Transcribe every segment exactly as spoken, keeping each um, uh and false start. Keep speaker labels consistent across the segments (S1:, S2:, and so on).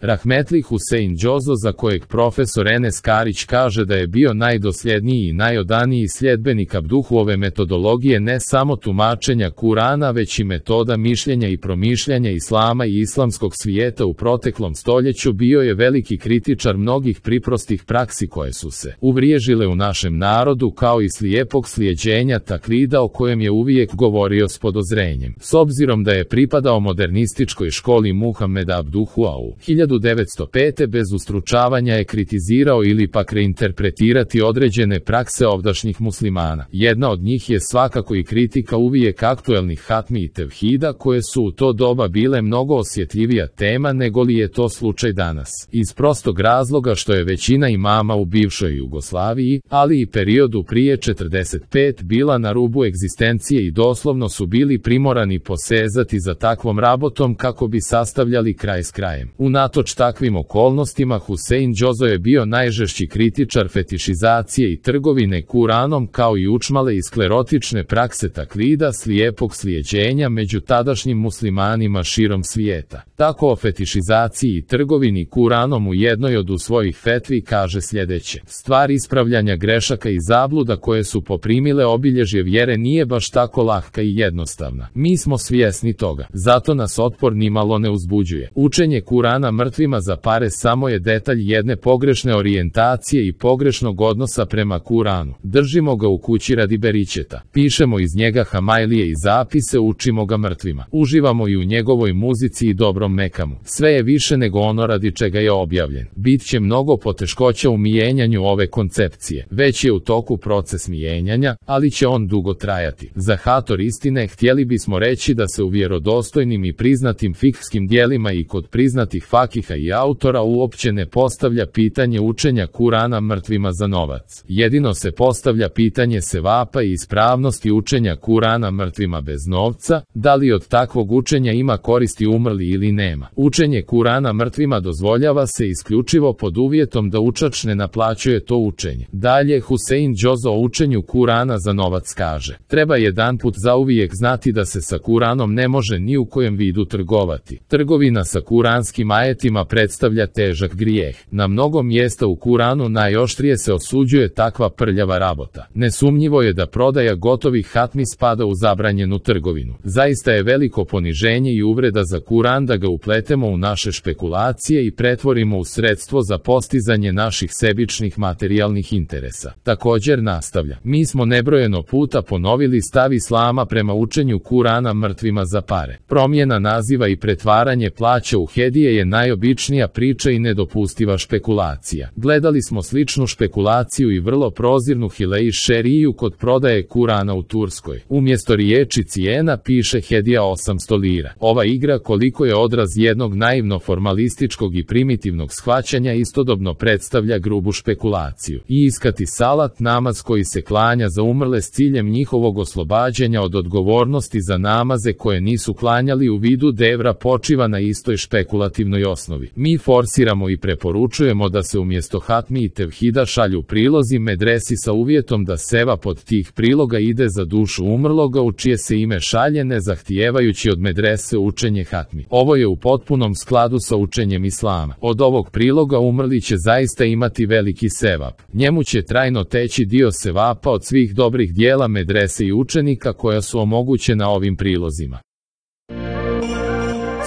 S1: Rahmetli Husein Džozo, za kojeg profesor Enes Karić kaže da je bio najdosljedniji i najodaniji sljedbenik Abduhove metodologije ne samo tumačenja Kurana već i metoda mišljenja i promišljanja islama i islamskog svijeta u proteklom stoljeću, bio je veliki kritičar mnogih priprostih praksi koje su se uvriježile u našem narodu, kao i slijepog slijeđenja taklida o kojem je uvijek govorio s podozrenjem. S obzirom da je pripadao modernističkoj školi Muhameda Abduhua u hiljadu devetsto pete bez ustručavanja je kritizirao ili pak reinterpretirati određene prakse ovdašnjih muslimana. Jedna od njih je svakako i kritika uvijek aktuelnih hatmi i tevhida, koje su u to doba bile mnogo osjetljivija tema nego li je to slučaj danas. Iz prostog razloga što je većina imama u bivšoj Jugoslaviji, ali i periodu prije četrdeset pete bila na rubu egzistencije i doslovno su bili primorani posezati za takvom rabotom kako bi sastavljali kraj s krajem. Unatoč takvim okolnostima Husein Džozo je bio najžešći kritičar fetišizacije i trgovine Kuranom, kao i učmale i sklerotične prakse taklida, slijepog slijeđenja među tadašnjim muslimanima širom svijeta. Tako o fetišizaciji i trgovini Kuranom u jednoj od svojih fetvi kaže sljedeće: stvar ispravljanja grešaka i zabluda koje su poprimile obilježje vjere nije baš tako lahka i jednostavna. Mi smo svjesni toga, zato nas otpor nimalo ne uzbuđuje. Učenje Kurana mrtvima za pare samo je detalj jedne pogrešne orijentacije i pogrešnog odnosa prema Kuranu. Držimo ga u kući radi beričeta, pišemo iz njega hamajlije i zapise, učimo ga mrtvima, uživamo i u njegovoj muzici i dobrom mekamu. Sve je više nego ono radi čega je objavljen. Bit će mnogo poteškoća u mijenjanju ove koncepcije. Već je u toku proces mijenjanja, ali će on dugo trajati. Za hator istine htjeli bismo reći da se u vjerodostojnim i priznatim fikhskim dijelima i kod priznatih fakiha i autora uopće ne postavlja pitanje učenja Kurana mrtvima za novac. Jedino se postavlja pitanje sevapa i ispravnosti učenja Kurana mrtvima bez novca, da li od takvog učenja ima koristi umrli ili nema. Učenje Kurana mrtvima dozvoljava se isključivo pod uvjetom da učač ne naplaćuje to učenje. Dalje Husein Džozo o učenju Kurana za novac kaže: treba jedanput zauvijek znati da se sa Kuranom ne može ni u kojem vidu trgovati. Trgovina sa kuranskim ajetima predstavlja težak grijeh. Na mnogo mjesta u Kuranu najoštrije se osuđuje takva prljava rabota. Nesumnjivo je da prodaja gotovih hatmi spada u zabranjenu trgovinu. Zaista je veliko poniženje i uvreda za Kuran da ga upletemo u naše špekulacije i pretvorimo u sredstvo za postizanje naših sebičnih materijalnih interesa. Također nastavlja: mi smo nebrojeno puta ponovili stav islama prema učenju Kurana mrtvima za pare. Promjena naziva i pretvaranje plaća u hedije je najobičnija priča i nedopustiva špekulacija. Gledali smo sličnu špekulaciju i vrlo prozirnu hilej šeriju kod prodaje Kurana u Turskoj. Umjesto riječi cijena piše hedija osamsto lira. Ova igra, koliko je odraz jednog naivno formalističkog i primitivnog shvaćanja, istodobno predstavlja grubu špekulaciju. I iskati salat, namaz koji se klanja za umrle s ciljem njihovog oslobađanja od odgovornosti za namaze koje nisu klanjali u vidu devra, počiva na istoj špekulativnoj osnovi. Mi forsiramo i preporučujemo da se umjesto hatmi i tevhida šalju prilozi medresi sa uvjetom da seva pod tih priloga ide za dušu umrloga u čije se ime šalje, ne zahtijevajući od medrese učenje hatmi. Ovo je u potpunom skladu sa učenjem islama. Od ovog priloga umrli će zaista imati veliki sevap. Njemu će trajno teći dio sevapa od svih dobrih dijela medrese i učenika koja su omogućena ovim prilozima.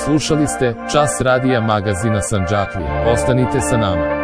S1: Slušali ste Čas radija magazina Sandžaklija. Ostanite sa nama.